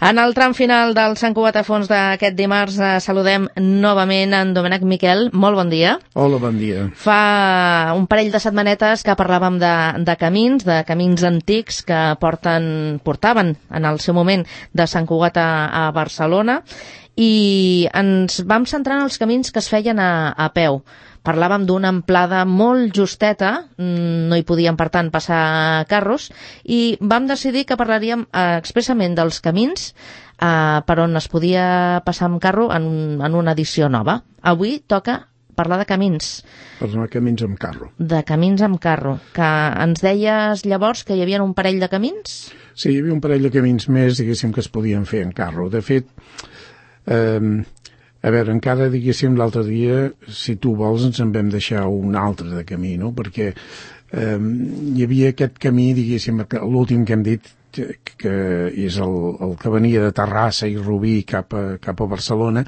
En el tram final del Sant Cugat a Fons d'aquest dimarts saludem novament en Domènec Miquel. Molt bon dia. Hola, bon dia. Fa un parell de setmanetes que parlàvem de camins antics que portaven en el seu moment de Sant Cugat a Barcelona, i ens vam centrar en els camins que es feien a peu. Parlàvem d'una amplada molt justeta, no hi podien, per tant, passar carros, i vam decidir que parlaríem expressament dels camins per on es podia passar amb carro en una edició nova. Avui toca parlar de camins. Parlar de camins amb carro. De camins amb carro, que ens deies llavors que hi havia un parell de camins? Sí, hi havia un parell de camins més, diguéssim, que es podien fer en carro. De fet, a veure, encara, diguéssim, l'altre dia, si tu vols, ens en vam deixar un altre de camí, no? Perquè hi havia aquest camí, diguéssim, l'últim que hem dit, que és el que venia de Terrassa i Rubí cap a Barcelona,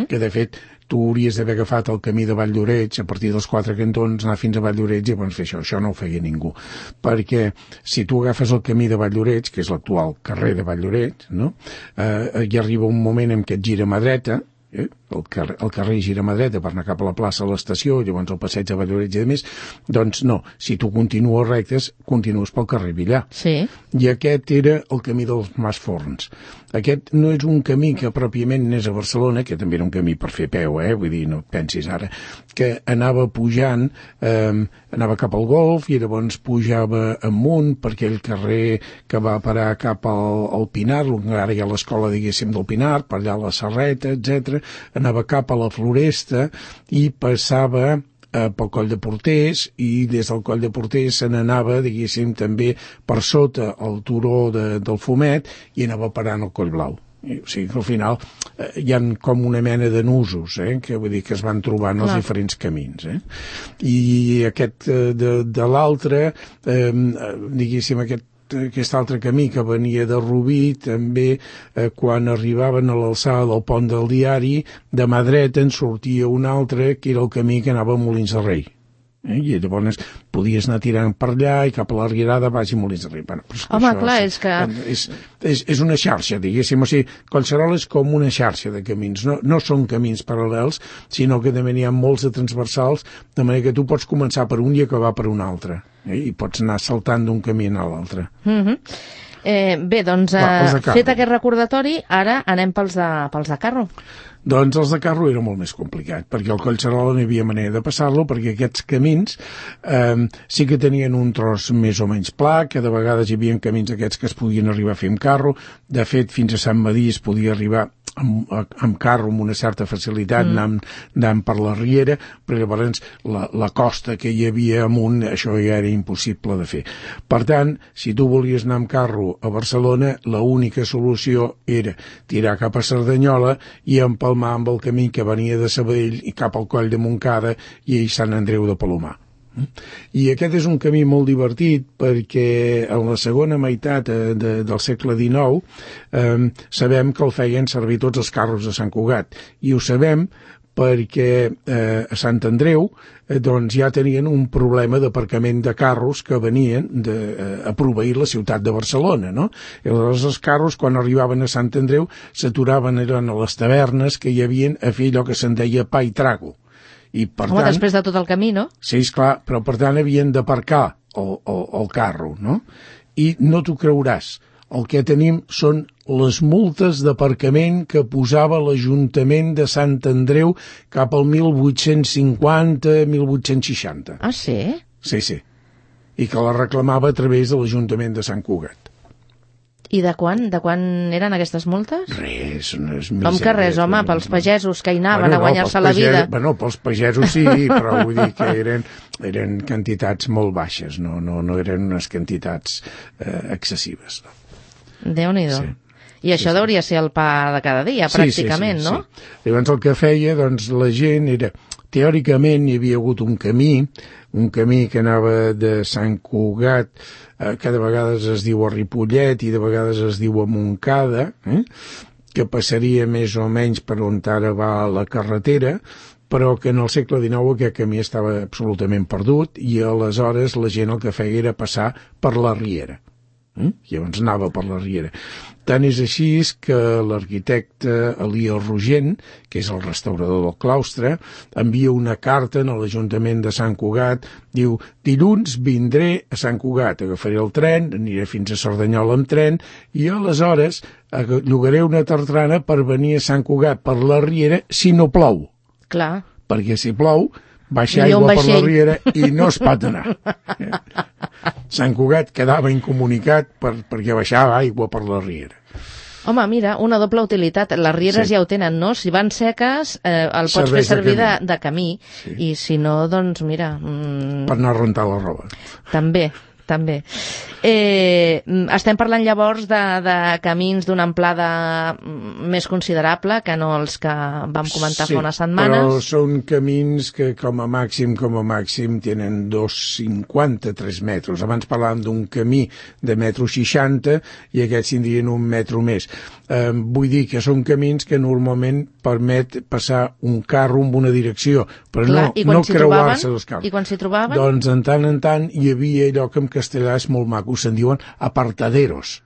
que de fet tu hauries d'haver agafat el camí de Vall d'Oreig, a partir dels 4 cantons, anar fins a Vall d'Oreig i llavors fer això. Això no ho feia ningú. Perquè si tu agafes el camí de Vall d'Oreig, que és l'actual carrer de Vall d'Oreig, no? Hi arriba un moment en què et gira a mà dreta, el carrer gira a mà dreta per anar cap a la plaça a l'estació, llavors el passeig a Vall d'Oreig i més, doncs no, si tu continues rectes, continues pel carrer Villar. Sí. I aquest era el camí dels Mas Forns. Aquest no és un camí que pròpiament anés a Barcelona, que també era un camí per fer peu, vull dir, no et pensis ara, que anava pujant, anava cap al Golf i llavors pujava amunt per aquell carrer que va parar cap al Pinar, ara hi ha l'escola, diguéssim, del Pinar, per allà a la Serreta, etc. Anava cap a la Floresta i passava pel Coll de Porters, i des del Coll de Porters se n'anava, diguéssim, també per sota el turó del Fumet i anava parant al Coll Blau. O sigui que al final hi ha com una mena de nusos, que vull dir que es van trobant els diferents camins. I aquest de l'altre, diguéssim, aquest altre camí que venia de Rubí, també quan arribaven a l'alçada del pont del Diari, de mà dreta en sortia un altre que era el camí que anava a Molins de Rei. I llavors podies anar tirant per allà i cap a la Rierada baix i Molins de Rei. Bueno, home, clar, és que... És una xarxa, diguéssim, o sigui, Collserola és com una xarxa de camins, no són camins paral·lels, sinó que també n'hi ha molts de transversals, de manera que tu pots començar per un i acabar per un altre, i pots anar saltant d'un camí a l'altre. Bé, doncs, fet aquest recordatori, ara anem pels de carro. Doncs els de carro era molt més complicat, perquè al Collserola no hi havia manera de passar-lo, perquè aquests camins sí que tenien un tros més o menys pla, que de vegades hi havia camins aquests que es podien arribar a fer amb carro. De fet, fins a Sant Madí es podia arribar amb carro amb una certa facilitat, anant per la Riera, però llavors la costa que hi havia amunt, això ja era impossible de fer. Per tant, si tu volies anar amb carro a Barcelona, l'única solució era tirar cap a Cerdanyola i empalmar amb el camí que venia de Sabadell i cap al Coll de Montcada i Sant Andreu de Palomar. I aquest és un camí molt divertit perquè en la segona meitat del segle XIX sabem que el feien servir tots els carros de Sant Cugat, i ho sabem perquè a Sant Andreu doncs ja tenien un problema d'aparcament de carros que venien a proveir la ciutat de Barcelona, no? I aleshores els carros, quan arribaven a Sant Andreu, s'aturaven a les tavernes que hi havien a fer allò que se'n deia pa i trago. I per tant, després de tot el camí, no? Sí, esclar, però per tant havien d'aparcar el carro, no? I no t'ho creuràs, el que tenim són les multes d'aparcament que posava l'Ajuntament de Sant Andreu cap al 1850-1860. Ah, sí? Sí. I que la reclamava a través de l'Ajuntament de Sant Cugat. I de quan eren aquestes multes? Res, com que res, home, pels pagesos que hi anaven a guanyar-se la vida. Bueno, pels pagesos sí, però vull dir que eren quantitats molt baixes, no eren unes quantitats excessives. Déu-n'hi-do. Sí. I això deuria ser el pa de cada dia, pràcticament, sí. No? Llavors el que feia, doncs, la gent era... Teòricament hi havia hagut un camí que anava de Sant Cugat, que de vegades es diu a Ripollet i de vegades es diu a Montcada, que passaria més o menys per on ara va la carretera, però que en el segle XIX aquest camí estava absolutament perdut i aleshores la gent el que feia era passar per la Riera. Llavors anava per la riera. Tant és així que l'arquitecte Elió Rogent, que és el restaurador del claustre, envia una carta a l'Ajuntament de Sant Cugat, diu: dilluns vindré a Sant Cugat, agafaré el tren, aniré fins a Cerdanyola amb tren, i aleshores llogaré una tartrana per venir a Sant Cugat per la riera si no plou. Clar. Perquè si plou, baixa aigua per la riera i no es pot anar. Sant Cugat quedava incomunicat perquè baixava aigua per la riera. Home, mira, una doble utilitat. Les rieres ja ho tenen, no? Si van seques, el pots fer servir de camí. I si no, doncs, mira... Per anar a rentar la roba. També. Estem parlant llavors de camins d'una amplada més considerable que no els que vam comentar fa unes setmanes. Però són camins que com a màxim tenen 2,53 metres. Abans parlàvem d'un camí de 1,60 m i aquests tindrien 1 metre més. Vull dir que són camins que normalment permet passar un carro en una direcció, però no creuar-se els carros. I quan s'hi trobaven? Doncs en tant hi havia allò que en castellà és molt maco, se'n diuen apartaderos,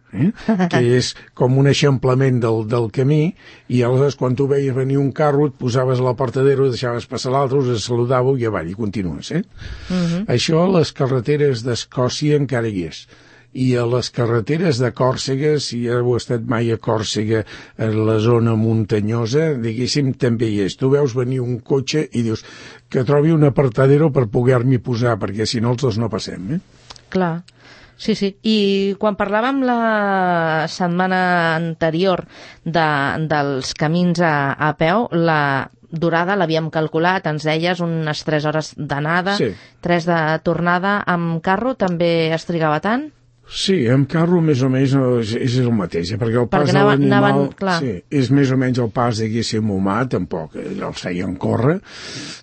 que és com un eixamplament del camí, i aleshores quan tu veies venir un carro et posaves a l'apartadero, deixaves passar l'altre, us saludàveu i avall, i continues. Això a les carreteres d'Escòcia encara hi és. I a les carreteres de Còrsega, si heu estat mai a Còrsega, en la zona muntanyosa, diguéssim, també hi és. Tu veus venir un cotxe i dius que trobi un apartadero per poder-m'hi posar, perquè si no els dos no passem. Clar. Sí. I quan parlàvem la setmana anterior dels camins a peu, la durada l'havíem calculat, ens deies unes 3 hores d'anada, 3 de tornada. Amb carro també es trigava tant? Sí, amb carro més o menys és el mateix, perquè el pas de l'animal és més o menys el pas, diguéssim, humà, tampoc, els feien córrer,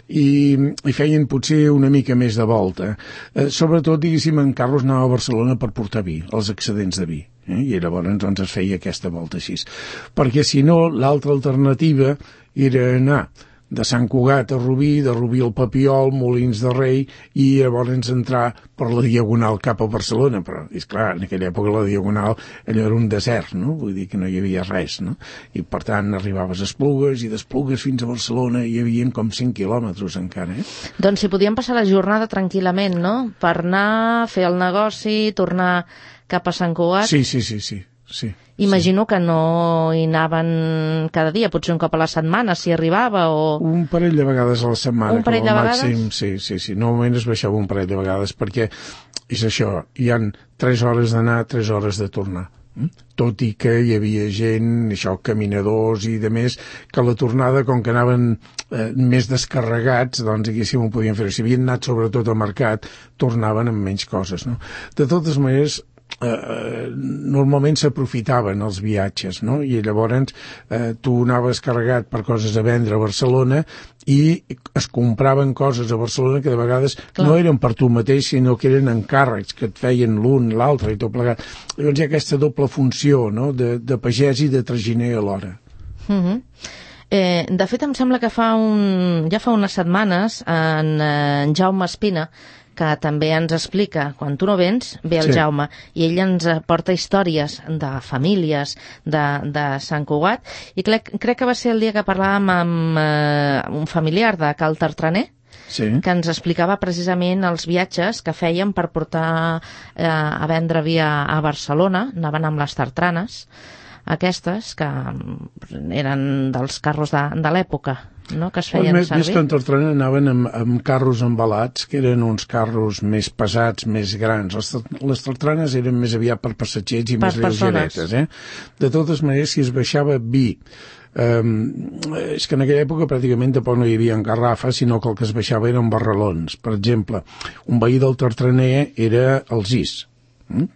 i feien potser una mica més de volta. Sobretot, diguéssim, en carro es anava a Barcelona per portar vi, els excedents de vi, i llavors doncs es feia aquesta volta així. Perquè si no, l'altra alternativa era anar de Sant Cugat a Rubí, de Rubí al Papiol, Molins de Rei, i llavors entrar per la Diagonal cap a Barcelona. Però, és clar, en aquella època la Diagonal allò era un desert, no? Vull dir que no hi havia res, no? I per tant arribaves a Esplugues, i d'Esplugues fins a Barcelona hi havia com 5 quilòmetres encara, Doncs si podíem passar la jornada tranquil·lament, no? Per anar, fer el negoci, tornar cap a Sant Cugat. Sí. Imagino que no hi anaven cada dia, potser un cop a la setmana, si arribava, o... Un parell de vegades a la setmana. Un parell de vegades? Sí. Normalment es baixava un parell de vegades, perquè és això, hi han 3 hores d'anar, 3 hores de tornar. Tot i que hi havia gent, caminadors i de més, que a la tornada, com que anaven més descarregats, doncs diguéssim ho podien fer. Si havien anat sobretot al mercat, tornaven amb menys coses, no? De totes maneres, normalment s'aprofitaven els viatges, no? I llavors tu anaves carregat per coses a vendre a Barcelona i es compraven coses a Barcelona que de vegades no eren per tu mateix, sinó que eren encàrrecs que et feien l'un, l'altre i tot plegat. Llavors hi ha aquesta doble funció, no? De pagès i de traginer alhora. De fet, em sembla que ja fa unes setmanes en Jaume Espina, que també ens explica, quan tu no vens, ve el Jaume, i ell ens porta històries de famílies de Sant Cugat, i crec que va ser el dia que parlàvem amb un familiar de Cal Tartraner, que ens explicava precisament els viatges que feien per portar a vendre vi a Barcelona, anaven amb les tartranes, aquestes, que eren dels carros de l'època, no? Que es feien servir. Més que en tartrana anaven amb carros embalats, que eren uns carros més pesats, més grans. Les tartranes eren més aviat per passatgers i més lleugeretes. De totes maneres, si es baixava vi, és que en aquella època pràcticament tampoc no hi havia garrafes, sinó que el que es baixava eren barralons. Per exemple, un veí del Tartraner era el Gis,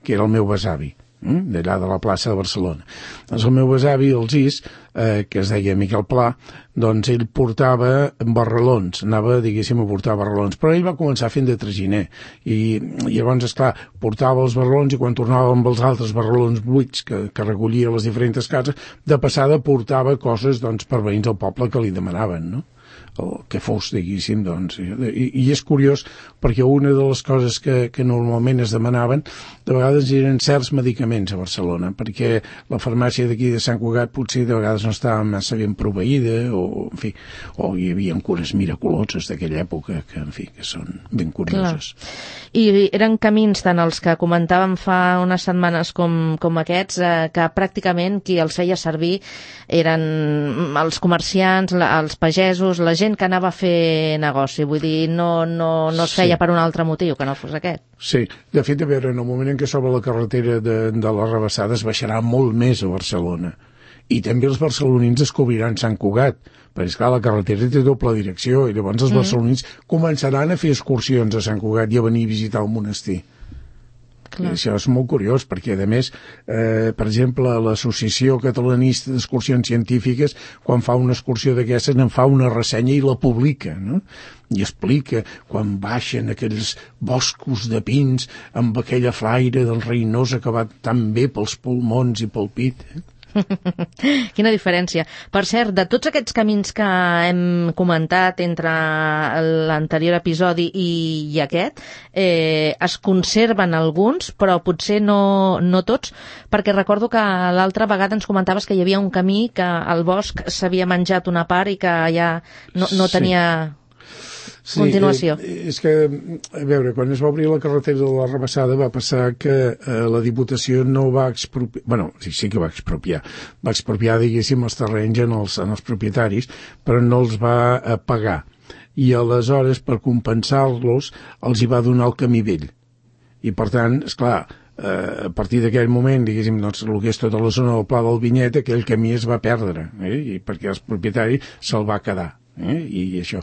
que era el meu besavi, d'allà de la plaça de Barcelona. Doncs el meu besavi, el Gis, que es deia Miquel Pla, doncs ell portava barralons, anava, diguéssim, a portar barralons, però ell va començar fent de traginer, i llavors, esclar, portava els barralons i quan tornava amb els altres barralons buits que recollia a les diferents cases, de passada portava coses, doncs, per veïns del poble que li demanaven, no? que fos, diguéssim, doncs. I és curiós perquè una de les coses que normalment es demanaven de vegades eren certs medicaments a Barcelona, perquè la farmàcia d'aquí de Sant Cugat potser de vegades no estava massa ben proveïda, o, en fi, o hi havia cures miraculoses d'aquella època que, en fi, que són ben curioses. Clar. I eren camins tant els que comentàvem fa unes setmanes com aquests, que pràcticament qui els feia servir eren els comerciants, els pagesos, la gent que anava a fer negoci. Vull dir, no es feia per un altre motiu que no fos aquest. Sí, de fet, a veure, en el moment en què s'obre la carretera de les Rabassades baixarà molt més a Barcelona. I també els barcelonins descobriran Sant Cugat, perquè, esclar, la carretera té doble direcció, i llavors els barcelonins començaran a fer excursions a Sant Cugat i a venir a visitar el monestir. Clar. Això és molt curiós, perquè, a més, per exemple, l'Associació Catalanista d'Excursions Científiques, quan fa una excursió d'aquestes, en fa una ressenya i la publica, no? I explica quan baixen aquells boscos de pins amb aquella flaire del Reinosa que va tan bé pels pulmons i pel pit, Quina diferència. Per cert, de tots aquests camins que hem comentat entre l'anterior episodi i aquest, es conserven alguns, però potser no tots, perquè recordo que l'altra vegada ens comentaves que hi havia un camí que el bosc s'havia menjat una part i que ja no tenia... Sí, continuació. És que, a veure, quan es va obrir la carretera de la Rabassada va passar que la Diputació no va expropiar, bueno, sí que va expropiar, diguéssim, els terrenys en els propietaris, però no els va pagar. I aleshores, per compensar-los, els hi va donar el camí vell. I, per tant, esclar, a partir d'aquell moment, diguéssim, doncs, el que és tota la zona del Pla del Vinyet, aquell camí es va perdre, i perquè el propietari se'l va quedar. I això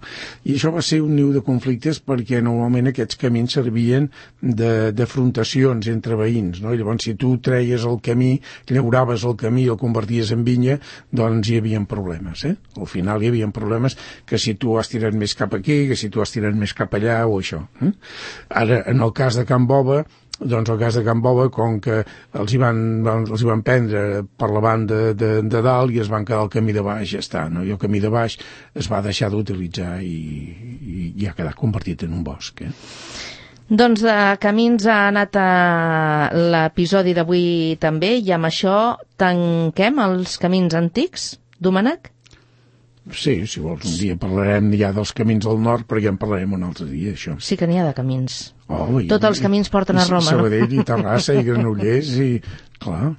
va ser un niu de conflictes perquè normalment aquests camins servien d'afrontacions entre veïns, no? I llavors si tu treies el camí, llauraves el camí i el converties en vinya, doncs hi havia problemes, Al final hi havia problemes que si tu has tirat més cap aquí, que si tu has tirat més cap allà o això. Ara, en el cas de Can Bova, doncs el cas de Can Bova, com que els hi van prendre per la banda de dalt i es van quedar al camí de baix, ja està, no? I el camí de baix es va deixar d'utilitzar i ha quedat convertit en un bosc, Doncs de camins ha anat a l'episodi d'avui també, i amb això tanquem els camins antics, Domènec? Sí, si vols, un dia parlarem ja dels camins del nord, però ja en parlarem un altre dia, això. Sí que n'hi ha de camins. Tots els camins porten a Roma, Sabadell, i Terrassa, i Granollers, i... Clar.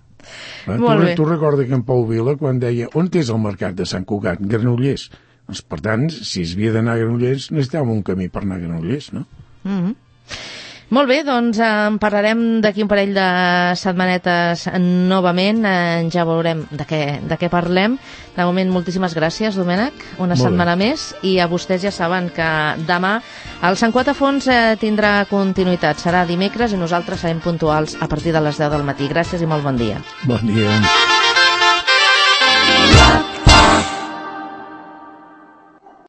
Tu recorda que en Pau Vila, quan deia on és el mercat de Sant Cugat? Granollers. Doncs, per tant, si es havia d'anar a Granollers, necessitàvem un camí per anar a Granollers, no? Molt bé, doncs en parlarem d'aquí un parell de setmanetes novament, ja veurem de què parlem. De moment, moltíssimes gràcies, Domènec, una setmana més, i a vostès ja saben que demà el Sant Cugat a fons tindrà continuïtat. Serà dimecres i nosaltres serem puntuals a partir de les 10 del matí. Gràcies i molt bon dia. Bon dia.